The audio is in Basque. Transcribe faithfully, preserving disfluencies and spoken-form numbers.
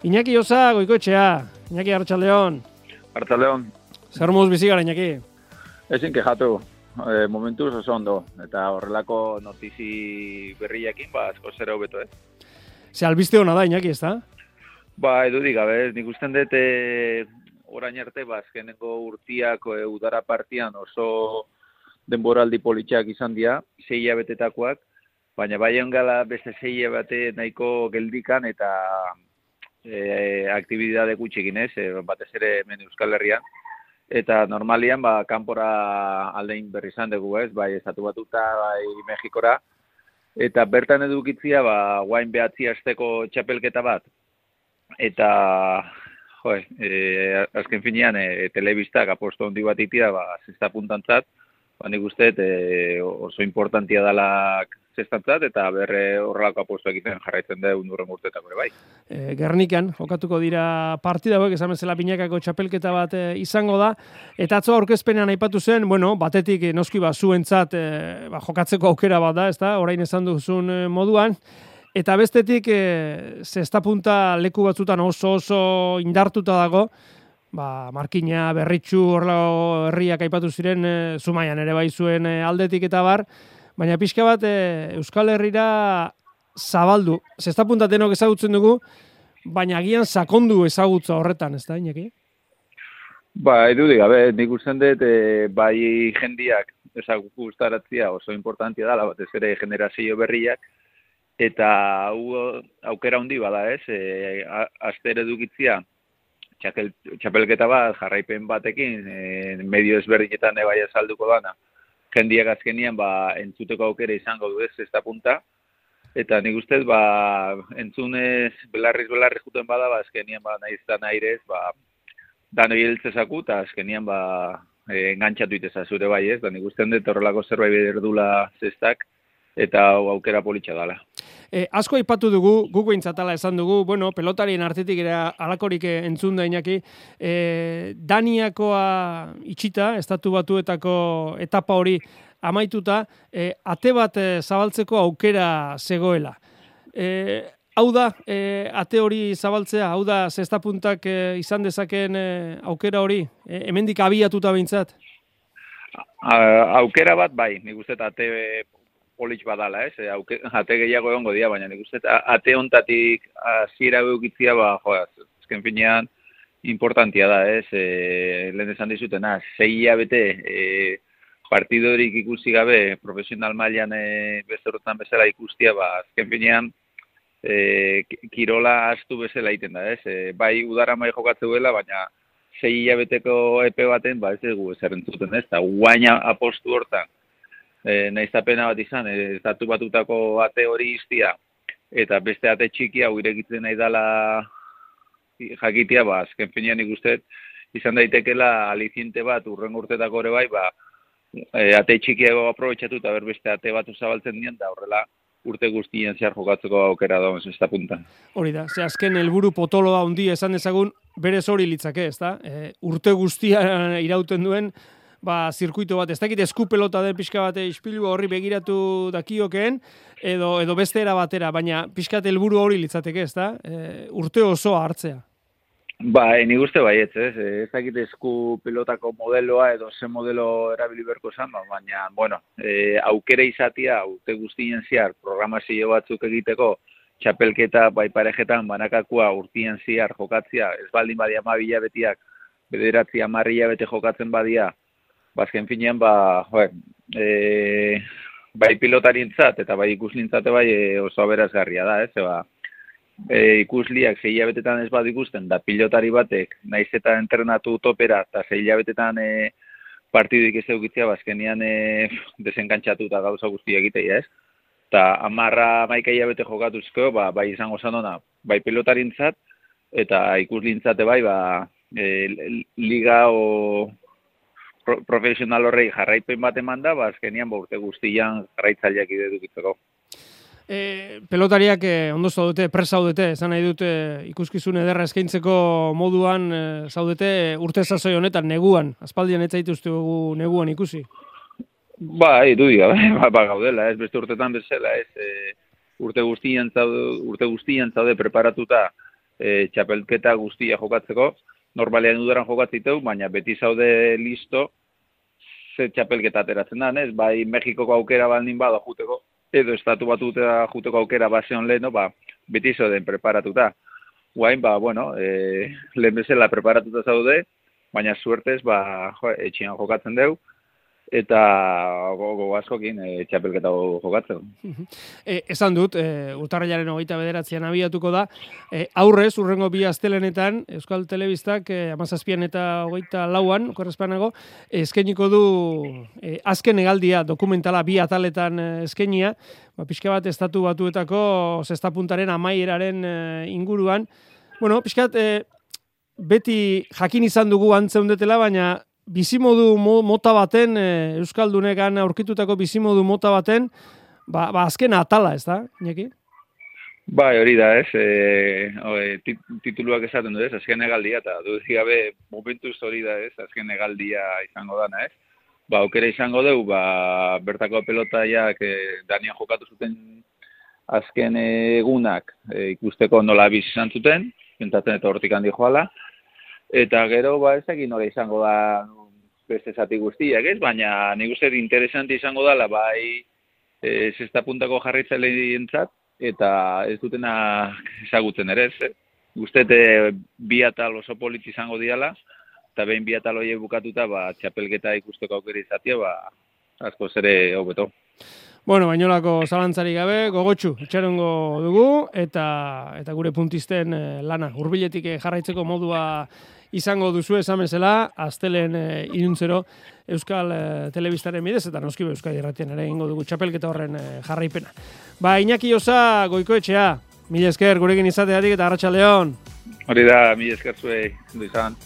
Iñaki Osa, Goikoetxea. Iñaki, Arratsaldeon. Arratsaldeon. Zer moduz bizi gara, Iñaki? Ezin kexatu. E, momentuz oso ondo. Eta horrelako notizi berriekin, ba, asko zera hobeto, ez? Ze albiste hona da, Iñaki, ez da? Ba, edudik, gabe, nik usten dut e, orain arte, ba, azkeneko urtiak e, udara partian oso denboraldi politxak izan dira, sei hilabetetakoak, baina bai gala beste sei hilabete nahiko geldikan eta e, aktibidade gutxikin, ez, e, batez ere hemen Euskal Herrian. Eta normalian, ba, kanpora aldein berri izan dugu, ez, bai, estatu batuta, bai, Mexikora. Eta bertan edukitzia, ba, guain behatzi asteko txapelketa bat. Eta, jo, e, azken finean, e, telebistak aposto handi bat itia, ba, zesta puntantzat, ba, nik uste, e, oso importantia dalak zestantzat, eta berre horrelako aposto egiten jarraitzen da undurren urtetako ere bai. E, Gernikan, jokatuko dira partida hauek, esan bezala Pinakako txapelketa bat e, izango da, eta atzo aurkezpenean aipatu zen, bueno, batetik e, noski ba, zuentzat e, ba, jokatzeko aukera bat da, ezta, orain esan duzun e, moduan, eta bestetik e, zesta punta leku batzutan oso oso indartuta dago, ba, Markina, Berritxu, horrelako herriak aipatu ziren, e, Zumaian ere bai zuen e, aldetik eta bar, baina pixka bat e, Euskal Herrira zabaldu. Zesta punta denok ezagutzen dugu, baina agian sakondu ezagutza horretan, ez da, Iñaki? Ba, edudik, gabe, nik usten dut, e, bai jendiak ezagutaratzia oso importantia dela, batez ere generazio berriak, eta hau aukera handi bada, ez, e, aster edukitzia, txakel, txapelketa bat, jarraipen batekin, e, medio ezberdinetan bai azalduko dana, jendiak azkenian ba, entzuteko aukera izango du ez, zesta punta, eta nik ustez, ba, entzunez, belarriz belarriz juten bada, ba, azkenian, ba, nahiz da nahirez, ba, danoi heltzezaku, eta azkenian, ba, e, engantzatu iteza zure bai ez, da nik usten dut horrelako zerbait berdula zestak, eta aukera politxa dala. E, asko aipatu dugu, guk behintzatala esan dugu, bueno, pelotarien artetik era alakorik entzun da, Iñaki, e, Daniakoa itxita, estatu batuetako etapa hori amaituta, e, ate bat e, zabaltzeko aukera zegoela. E, hau da, e, ate hori zabaltzea, hau da, zesta puntak e, izan dezakeen e, aukera hori, e, hemendik abiatuta behintzat? Aukera bat, bai, nik uste ate politx badala, ez, Auke, ate gehiago egongo dira, baina nik uste, ate ontatik hasiera eukitzia, ba, joa, ezken finean, importantia da, ez, e, lehen esan dizutena, sei hilabete e, partidorik ikusi gabe, profesional mailan e, beste horretan bezala ikustia, ba, ezken finean, e, kirola astu bezala egiten da, ez, e, bai udara mai jokatzeuela, baina sei hilabeteko epe baten, ba, ez dugu ezer entzuten, ez, eta guaina apostu hortan, E, nahizapena bat izan, ez datu batutako ate hori iztia, eta beste ate txiki hau irekitzen nahi dela jakitia, ba, azken finean ikustet, izan daitekela aliziente bat, urren urtetako ere bai, ba, e, ate txikiago aprobetxatu eta berbeste ate bat zabaltzen dien, da horrela urte guztien zehar jokatzeko aukera dagoen zesta puntan. Hori da, ze azken helburu potoloa handia esan dezagun, berez hori litzake, ez da? E, urte guztia irauten duen, ba, zirkuito bat, ez dakit esku pelota den pixka bat ispilu horri begiratu dakiokeen, edo, edo beste era batera, baina pixkat helburu hori litzateke, ez da? E, urte osoa hartzea. Ba, nik uste baietz, ez, ez dakit esku pelotako modeloa edo ze modelo erabili berko zan, baina, bueno, e, aukera izatia, urte guztien zehar, programazio batzuk egiteko, txapelketa, bai parejetan, banakakua, urtien zehar jokatzia, ez baldin badia mabila betiak, bederatzi amarria bete jokatzen badia, bazken finean, ba, joe, e, bai pilotarintzat eta bai ikuslintzate bai e, oso aberazgarria da, ez, ba, e, ikusliak sei hilabetetan ez bat ikusten, da pilotari batek, naiz eta entrenatu topera, eta sei hilabetetan e, partiduik ez eukitzia, bazkenian e, desenkantxatu eta gauza guztia egitea, ez? Eta amarra maika hilabete jokatuzko, ba, bai izango zanona, bai pilotarintzat, eta ikuslintzate bai, ba, e, liga o Pro, profesional horrei jarraipen bat eman da, ba, azkenian ba, urte guztian jarraitzaileak idedukitzeko. E, pelotariak eh, ondo zaudete, pres zaudete, esan nahi dute ikuskizun ederra eskaintzeko moduan e, zaudete urte sasoi honetan, neguan, aspaldian ez zaituztegu neguan ikusi. Ba, edu diga, ba, ba, gaudela, ez beste urtetan bezala, ez, e, urte guztian zaude, urte guztian zaude preparatuta, e, txapelketa guztia jokatzeko, normalean udaran jokatziteu, baina beti zaude listo, ze txapelketa ateratzen da, ez? Bai Mexikoko aukera baldin bada juteko, edo estatu batutera juteko aukera baseon leheno, ba, beti zauden preparatuta. Guain, ba, bueno, e, lehen bezala preparatuta zaude, baina suertez, ba, jo, etxian jokatzen deu, eta gogo askokin e, txapelketa jokatzeko. E, esan dut, e, urtarrilaren hogeita bederatzean abiatuko da, e, aurrez, urrengo bi astelenetan, Euskal Telebistak e, amazazpian eta hogeita lauan, korrespanago, eskainiko du e, azken hegaldia dokumentala bi ataletan e, eskainia, ba, pixka bat estatu batuetako zestapuntaren amaieraren e, inguruan. Bueno, pixka bat, e, beti jakin izan dugu antzeundetela, baina bizimodu mota baten, e, Euskaldunekan aurkitutako bizimodu mota baten, ba, ba azken atala, ez da, Iñaki? Bai, hori da, ez, e, tit, tituluak esaten du, ez, azken egaldia, eta duzi gabe momentuz hori da, ez, azken egaldia izango dana, ez. Ba, aukera izango dugu, ba, bertako pelotaiak e, Danian jokatu zuten azken egunak e, ikusteko nola biz izan zuten, pintatzen eta hortik handi joala, eta gero, ba, ez egin hori izango da beste zati guztiak, ez? Baina nik uste interesanti izango dela, bai, e, zesta puntako jarraitzaileientzat, eta ez dutena ezagutzen ere, ez? Guztete bi atal oso polit izango diala, eta behin bi atal horiek bukatuta, ba, txapelketa ikusteko aukera izatea, ba, asko zere hobeto. Bueno, bainolako zalantzari gabe, gogotxu, itxarongo dugu, eta eta gure puntisten eh, lana, hurbiletik jarraitzeko modua izango duzu esan bezala, astelen eh, iruntzero Euskal eh, Telebistaren bidez, eta noski Euskadi Irratian ere egingo dugu txapelketa horren eh, jarraipena. Ba, Iñaki Osa, Goikoetxea, mila esker gurekin izateatik eta arratsaldeon. Hori da, mila esker zuei, du izan.